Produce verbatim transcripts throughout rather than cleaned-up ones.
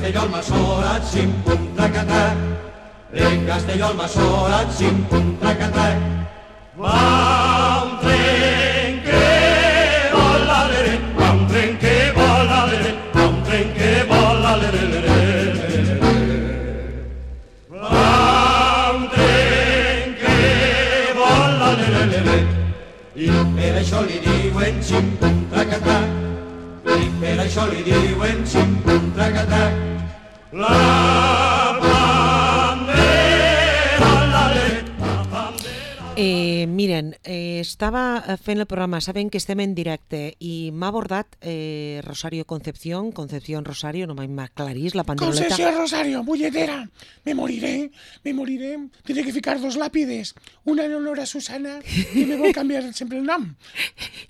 Castelló al Masora, xim, pum, tracatac. En Castelló al Masora, xim, pum, tracatac. Va un tren que vola, lere, va un tren que vola, lere, va un tren que vola, lere, lere, va un tren que vola, lere, lere. I per això li diuen xim, pum, tracatac. I per això li diuen xim, pum, tracatac. La Eh, miren, eh, estava fent el programa, saben que estem en directe i m'ha abordat eh, Rosario Concepción, Concepción Rosario, no m'aclarís la panderoleta. Concepción Rosario, bulletera, me moriré, me moriré, tindré que ficar dos làpides, una en honor a Susana i me vol canviar sempre el nom.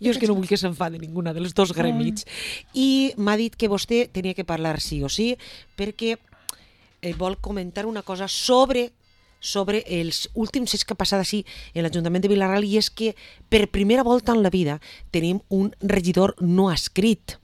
Jo és que no vull que s'enfade ninguna de les dos gremits. I m'ha dit que vostè tenia que parlar sí o sí perquè eh, vol comentar una cosa sobre sobre els últims fets que ha passat així en l'Ajuntament de Vila-real, i és que per primera volta en la vida tenim un regidor no adscrit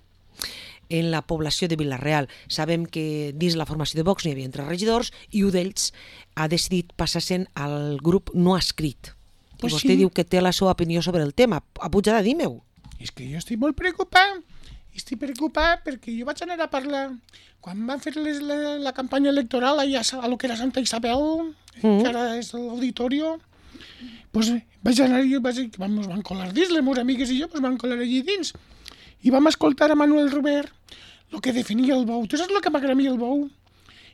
en la població de Vila-real. Sabem que dins la formació de Vox n'hi havia tres regidors i un d'ells ha decidit passar-se'n al grup no adscrit. I Pues vostè sí. diu que té la seva opinió sobre el tema. A pujada, dime-ho. És que jo estic molt preocupat, estic preocupat perquè jo vaig anar a parlar, quan van fer les, la, la campanya electoral allà a lo que era Santa Isabel, Mm. que ara és l'auditorio, pues vaig anar i vaig, vam, ens van colar dins, les meves amigues i jo pues van colar allí dins, i vam escoltar a Manuel Robert el que definia el bou. Tu saps el que m'agrada a mi el bou?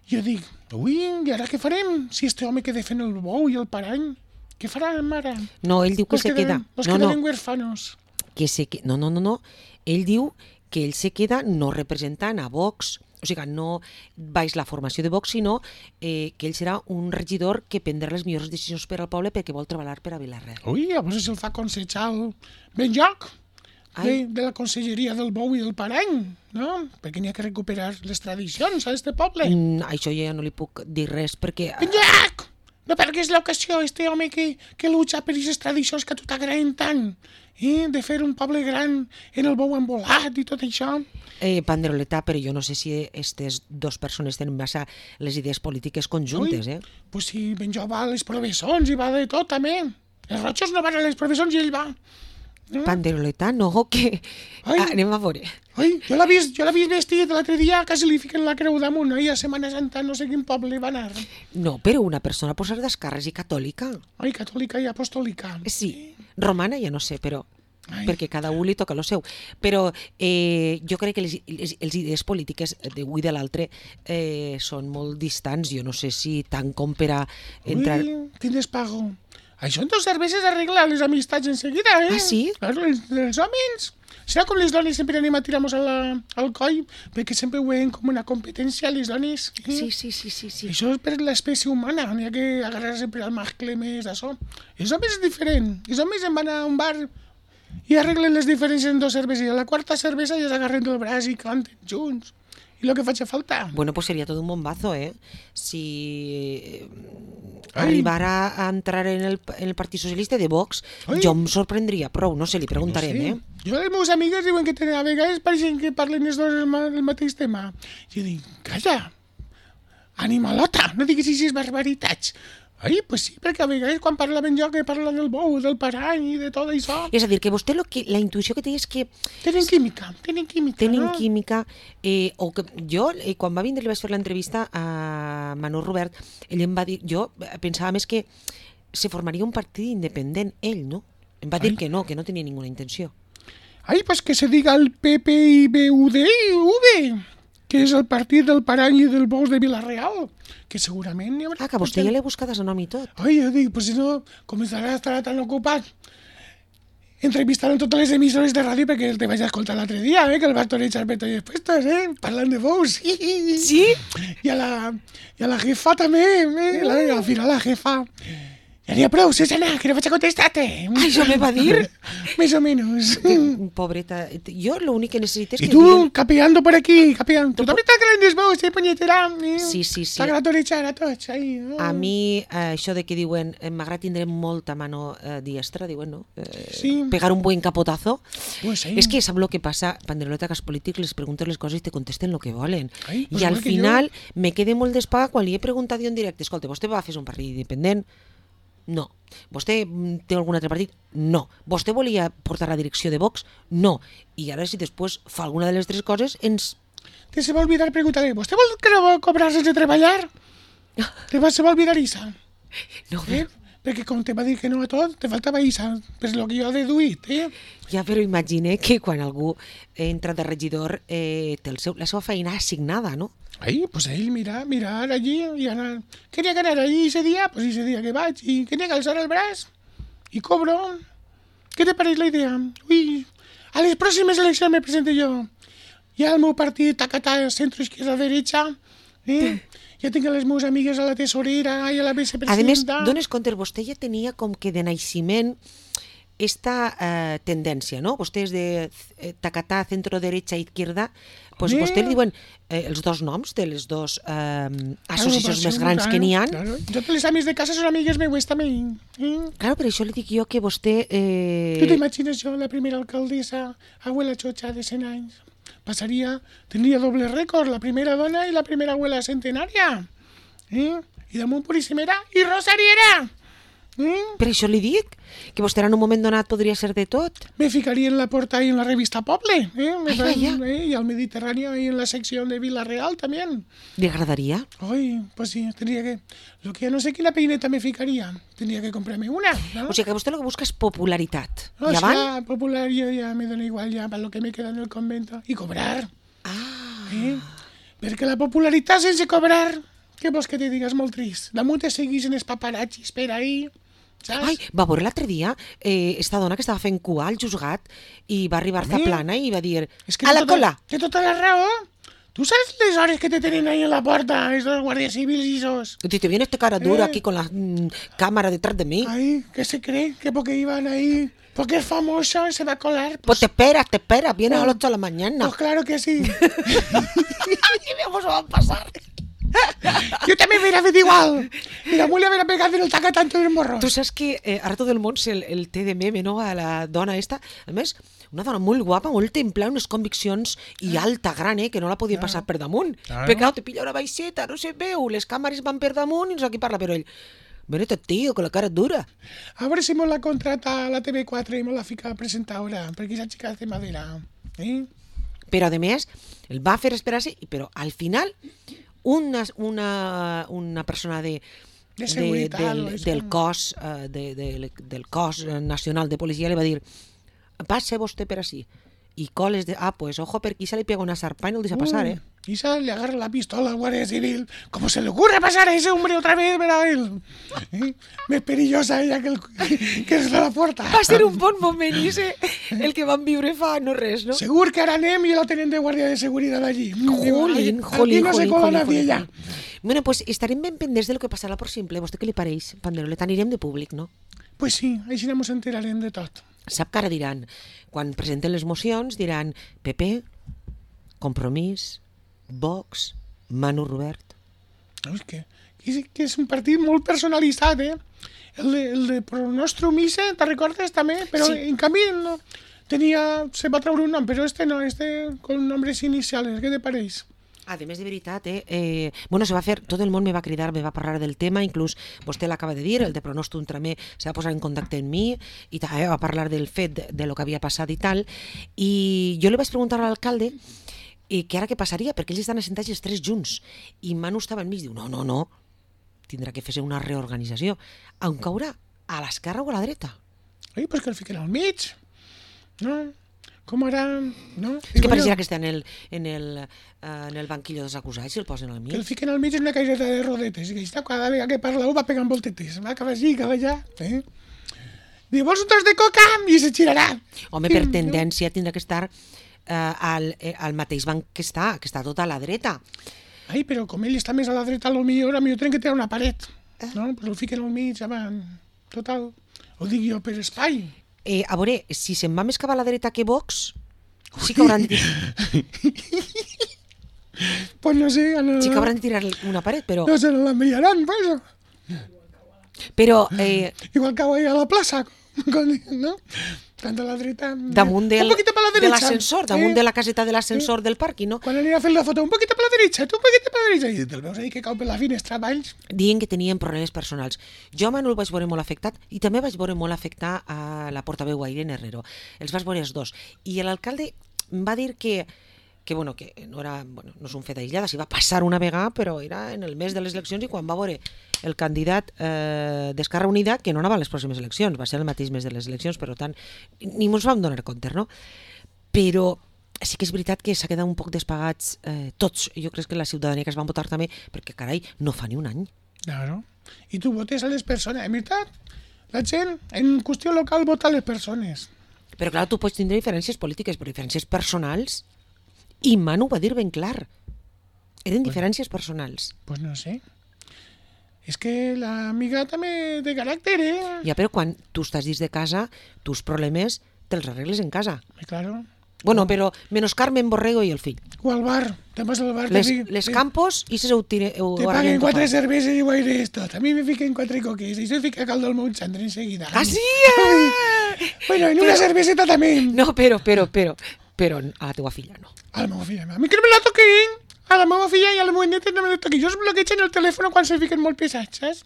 Jo dic, ui, i ara què farem si este home que defèn el bou i el parany? Què farem ara? No, ell diu que Pues se queda. Los No, quedarem no, huérfanos. que se que... no, no, no, no. Ell diu que ell se queda no representant a Vox, o sigui, no baix la formació de Vox, sinó eh, que ell serà un regidor que prendrà les millors decisions per al poble perquè vol treballar per a Vila-real. Ui, llavors se'l fa consellar el ben lloc de, Ai. de la conselleria del bou i del parany, no? Perquè n'hi ha que recuperar les tradicions a este poble. Mm, això ja no li puc dir res perquè... Ben lloc! No pergues l'ocasió, este home que, que lucha per aquestes tradicions que a tu t'agraden tant, eh? De fer un poble gran en el bou embolat i tot això. Eh, Panderoleta, però jo no sé si aquestes dues persones tenen massa les idees polítiques conjuntes, Ui, eh? Pues si ben jo va a les professons i va de tot, també. Els rojos no van a les professons i ell va. Eh? Panderoleta, no, que... Ai. Ah, anem a veure. Ui, jo l'he vist, jo l'he vist vestit l'altre dia, quasi li fiquen la creu damunt, oi? A Setmana Santa no sé quin poble va anar. No, però una persona pot ser d'esquerres i catòlica. Ai, catòlica i apostòlica. Sí, romana ja no sé, però... Ai. perquè cada un li toca lo seu. Però eh, jo crec que les, les, les idees polítiques d'un i de l'altre eh, són molt distants. Jo no sé si tant com per a entrar... Ui, quin despago. Això en dos cerveses arregla les amistats en seguida, eh? Ah, sí? Claro, els, els homes. Serà com les dones sempre anem a tirar-nos al, al coll, perquè sempre ho veiem com una competència, les dones. Eh? Sí, sí, sí, sí, sí. Això és per l'espècie humana, n'hi ha que agarrar sempre al mascle més d'això. Els homes és diferent. Els homes en van a un bar i arreglen les diferències en dos cerveses. I a la quarta cervesa ja s'agarren del braç i canten junts. I el que faig falta. Bueno, pues sería todo un bombazo, ¿eh? Si eh, Ai. arribara a entrar en el, en el Partit Socialista de Vox, Ai. jo em sorprendria prou. No sé, li preguntarem, No sé. eh? Jo, les meves amigues diuen que tenen, a vegades pareixen que parlen els dos el, ma- el mateix tema. Jo dic, calla, animalota, no diguis així barbaritats. Ai, pues sí, perquè a vegades quan parlaven jo que parla del bou, del parany i de tot això, És a dir, que vostè lo que, la intuïció que té és que tenen química, tenen química, tenen no? química, eh, o que jo, eh, quan va vindre i vaig fer l'entrevista a Manuel Robert, ell em va dir, jo pensava més que se formaria un partit independent, ell, no? Em va dir Ai. que no, que no tenia ninguna intenció. Ai, pues que se diga el P P I B U D V, que és el partit del parany i del bous de Vila-real, que segurament hi haurà... Ah, que a vostè ja l'he buscat a nom i tot. Ai, jo dic, pues si no, començarà a estar tan ocupat entrevistant en totes les emissores de ràdio, perquè te vaig a escoltar l'altre dia, eh, que el va torejar per tots els puestos, eh, parlant de bous. Sí? I a la, i a la jefa també, eh, la, al final la jefa. Ja n'hi ha prou, Susana, que no vaig a contestar-te. Ai, això me va dir. Més o menos. Pobreta, jo l'únic que necessito és Y que... tú, diguen- capeando por aquí, capeando. Tú també estàs creient vos, eh, punyetera? Eh? Sí, sí, sí. T'agrada torejar a tots, ahí. eh? A mi, eh, això de que diuen, eh, m'agrada tindre molta mano eh, diestra, diuen, no? Eh, Sí. Pegar un buen capotazo. Pues sí. És que sap lo que passa, Panderoleta, que els polítics les preguntes les coses i te contesten lo que volen. Ai, pues I al igual que final me quedé molt despaga quan li he preguntat jo en directe, escolta, vostè va fer un partit independent? No. Vostè mm, té algun altre partit? No. Vostè volia portar la direcció de Vox? No. I ara si després fa alguna de les tres coses, ens... Te se va olvidar preguntarle, ¿vostè vol que no va cobrar sense treballar? Te va, se va olvidar Isa. No, Eh? Perquè com te va dir que no a tot, te faltava Isa. Per lo que jo he deduït, eh? ja, però imagine que quan algú entra de regidor eh, té el seu, la seva feina assignada, no? Ahí, pues ell mirar, mirar allí y anar. Quería que anar allí ese día, pues ese día que vaig. Y quería que alçar el braç y cobro. ¿Qué te pareix la idea? Ui, a les pròximes eleccions me presento jo. Ja el meu partit tacatà, centro, izquierda, derecha. Eh? Ja tinc les meves amigues a la tesorera i a la A més, vicepresidenta. dones compte, vostè ja tenia com que de naixement esta eh, tendència, no? Vostè és de eh, tacatà, centro, derecha, izquierda, pues Sí. vostè li diuen eh, els dos noms de les dos eh, associacions més Agrupació, grans que n'hi ha. Claro. Jo les amics de casa són amigues meues també. Eh? Claro, per això li dic jo que vostè... Eh... Tu t'imagines jo, la primera alcaldessa, abuela Chocha, de cent anys? Passaria, tindria doble rècord, la primera dona i la primera abuela centenària. Eh? I damunt puríssimera i rosariera. Eh? Per això li dic que vostè en un moment donat podria ser de tot. Me ficaria en la porta y en la revista Poble. Eh? Me Ay, fan, vaya. eh? Y al Mediterráneo y en la sección de Vila Real también. ¿Le agradaría? Ay, pues sí, tendría que... Lo que ya no sé qué la peineta me ficaría. Tendría que comprarme una, ¿no? O sigui que vostè el que busca és popularitat. O I sea, avant? popular yo ya me da igual ya para lo que me queda en el convento. Y cobrar. Ah, Eh? Perquè la popularitat sense cobrar, què vols que te digues? Molt trist. Damunt te seguís en els paparazzis per ahí, saps? ai, va veure l'altre dia eh, esta dona que estava fent cua al juzgat i va arribar a Home, plana i va dir És que a té la tota- cola. Té tota la raó. Tu saps les hores que te tenen ahí en la porta, esos guardias civiles y esos? Y te viene este cara dura Eh. aquí con la mm, cámara detrás de mí. Ay, ¿qué se cree? Que porque iban ahí, porque es famoso, se va a colar. Pues te esperas, te esperas, vienes Oh. a las ocho de la mañana. Pues claro que sí. Y vemos a pasar. Yo también me hubiera hecho igual. Y la muela me hubiera pegado en el taca tanto en el morro. Tu saps que eh, ara tot el món el, el té de meme, no?, a la dona esta. A més, una dona molt guapa, molt templada, unes conviccions i alta, gran, eh, que no la podia passar per damunt. Claro. Perquè, clar, te pilla una baixeta, no se veu, les càmeres van per damunt i no sé qui parla, però ell... Venete, tío, con la cara dura. A ver si me la contrata a la T V cuatro y me la fica presentadora, porque esa chica hace madera. ¿Eh? Però, a més, el va fer esperar-se, i- però al final, una, una, una persona de, De seguretat, del, és del, com- cos, eh, de, de, del cos nacional de policia li va dir passe vostè per així. I coles de... Ah, pues ojo, per aquí se li pega una zarpa i no el deixa passar, eh? Uh, Isa le agarra la pistola al guardia civil. ¿Cómo se le ocurre pasar a ese hombre otra vez? Verá él. ¿Eh? Més perillosa ella que, el, que es de la puerta. Va ser un bon moment, ese, el que van viure fa no res, no? Segur que ara anem i la tenen de guàrdia de seguretat allí. Jolín, Aquí jolín, no se jolín, cola jolín, nadie jolín, ya. jolín. Bueno, pues estarem ben pendents de lo que passarà por simple. Vostè què li pareix, Panderolet? Anirem de públic, no? Pues sí, així no ens enterarem de tot. Sap que ara diran, quan presenten les mocions, diran P P, Compromís, Vox, Manu Robert. No, és que, que, és, que és un partit molt personalitzat, eh? El de, el de Pro Nostrum Mise, te recordes també? Però Sí. en canvi no, tenia, se va treure un nom, però este no, este con nombres iniciales, què te pareix? A més, de veritat, eh, eh, bueno, se va fer, tot el món me va cridar, me va parlar del tema, inclús vostè l'acaba de dir, el de Pronostum també se va posar en contacte amb mi i també va parlar del fet de, de lo que havia passat i tal, i jo li vaig preguntar a l'alcalde i que ara què passaria, perquè ells estan assentats els tres junts, i Manu estava enmig, diu, no, no, no, tindrà que fer-se una reorganització. On caurà? A l'esquerra o a la dreta? Oi, pues que el fiquen al mig. No? Com ara... No? És que Digo pareixerà jo, que està en el, en el, eh, en el banquillo dels acusats i el posen al que el mig. fiquen al mig en una caixeta de rodetes, i que està cada vegada que parla va pegant voltetes, va cap així, cap allà. Eh? Diu, vols un tros de coca? I se girarà. Home, per tendència tindrà que estar eh, al, eh, al mateix banc que està, que està tot a la dreta. Ai, però com ell està més a la dreta, a lo millor, a millor tenen que tirar una paret. No? Pues el fiquen al mig, avant. total. Ho dic jo per espai. Eh, a veure, si se'n va més cap a la dreta que Vox, sí que hauran de tirar, Pues no sé, a la... sí que hauran de tirar una paret, però... No se l'enviaran, pues. Però... Eh, Igual que ahí a la plaça, con- ¿no? Tanto a la dreta... damunt del, un poquito para la de derecha. l'ascensor, damunt eh? de la caseta de l'ascensor del parc, no? Quan anirà a fer la foto, un poquito para la derecha, tu un poquito para la derecha. I te'l veus ahí que cau per la finestra valls. Dient que tenien problemes personals. Jo a Manu el vaig veure molt afectat i també vaig veure molt afectar a la portaveu, a Irene Herrero. Els vaig veure els dos. I l'alcalde em va dir que que, bueno, que no, era, bueno, no és un fet aïllada, s'hi va passar una vegada, però era en el mes de les eleccions i quan va veure el candidat eh, d'Esquerra Unida, que no anava a les pròximes eleccions, va ser el mateix mes de les eleccions, per tant, ni ens vam donar compte, no? Però sí que és veritat que s'ha quedat un poc despagats eh, tots. Jo crec que la ciutadania que es van votar també, perquè, carai, no fa ni un any. Claro. I tu votes a les persones, en veritat. La gent, en qüestió local, vota a les persones. Però clar, tu pots tindre diferències polítiques, però diferències personals... I Manu va dir ben clar. Eren diferències personals. Pues no sé. És que l'amiga també de caràcter, eh? Ja, però quan tu estàs dins de casa, tus problemes te'ls arregles en casa. Eh, Claro. Bueno, però menos Carmen Borrego i el fill. O al bar, te'n vas al bar. Les, te fic- les te- campos i se ho tire... Ho Te arreglen paguen quatre tot. cerveses i ho aires tot. A mi me fiquen quatre coques i se fica caldo al meu xandre enseguida. Ah, sí? Bueno, en una cerveseta també. No, però, però, però, però a la teua filla no. A la meva filla. A mi que no me la toquin. A la meva filla i a la meva neta no me la toquin. Jo es bloquegen el telèfon quan se fiquen molt pesats, saps?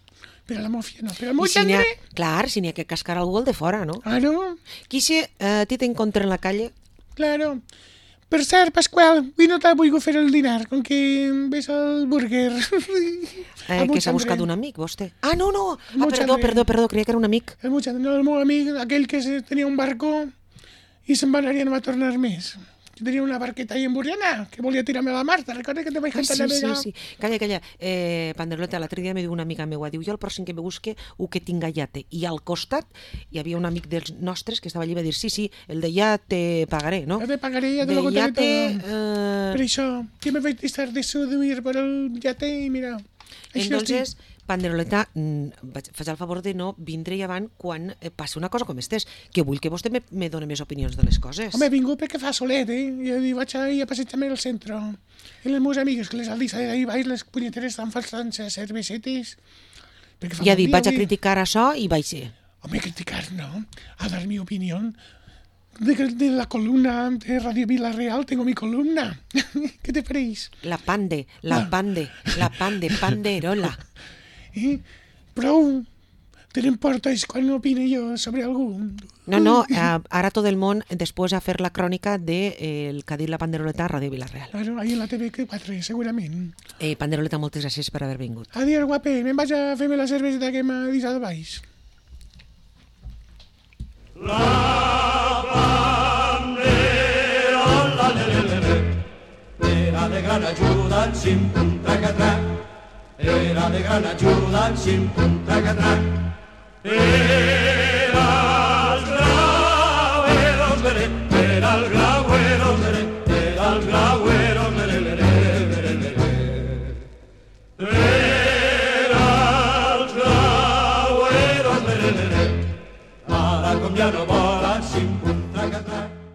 Però a la meva filla no. Però al meu I si n'hi ha, xandre... clar, si n'hi ha que cascar algú el de fora, no? Ah, no? Qui se eh, ti t'encontra en la calle? Claro. Per cert, Pasqual, avui no t'ha volgut fer el dinar, com que ves el burger. Eh, que s'ha buscat un amic, vostè? Ah, no, no! Ah, Molt perdó, xandre. perdó, perdó, creia que era un amic. El meu xandre, no, el meu amic, aquell que se- tenia un barco i se'n va anar i no va tornar més. Jo tenia una barqueta ahí en Burriana, que volia tirar-me a la mar, te'n recordes que te vaig Ah, cantar sí, la sí, vega? sí. Calla, calla. Eh, Panderoleta, l'altre dia me diu una amiga meua, diu, jo el pròxim que me busque ho que tinga llate. I al costat hi havia un amic dels nostres que estava allí i va dir, sí, sí, el de ja te pagaré, no? Ja te pagaré, ja te De lo contaré yate, todo. eh, Per això, que me vaig estar de subir per el yate i mira, així entonces, Panderoleta, mm, vaig- faig el favor de no vindre avant quan eh, passi una cosa com estés, que vull que vostè me, me doni més opinions de les coses. Home, he vingut perquè fa solet, eh? I dic, vaig a ir a passejar-me al centre. I les meves amigues, que les aldis ahí baix, les punyeteres estan falsant cervesetes. Perquè fa I ha bon dit, dia vaig a avui. criticar això i vaig ser. Home, criticar no, a dar mi opinión. De, de la columna de Radio Villarreal tengo mi columna. ¿Qué te pareix? La pande, la Ah. pande, la pande, panderola. Eh? Prou, tenen portes quan opine jo sobre algú. No, no, eh, ara tot el món després a fer la crònica de eh, el que ha dit la Panderoleta a Ràdio Vilareal. Claro, ahí en la T V quatre, segurament. Eh, Panderoleta, moltes gràcies per haver vingut. Adiós, guape, me'n vaig a fer-me la cerveseta que m'ha deixat baix. Era de gran ajuda en sim pum tracatrac. Era de gran ajuda en sim pum tracatrac. Era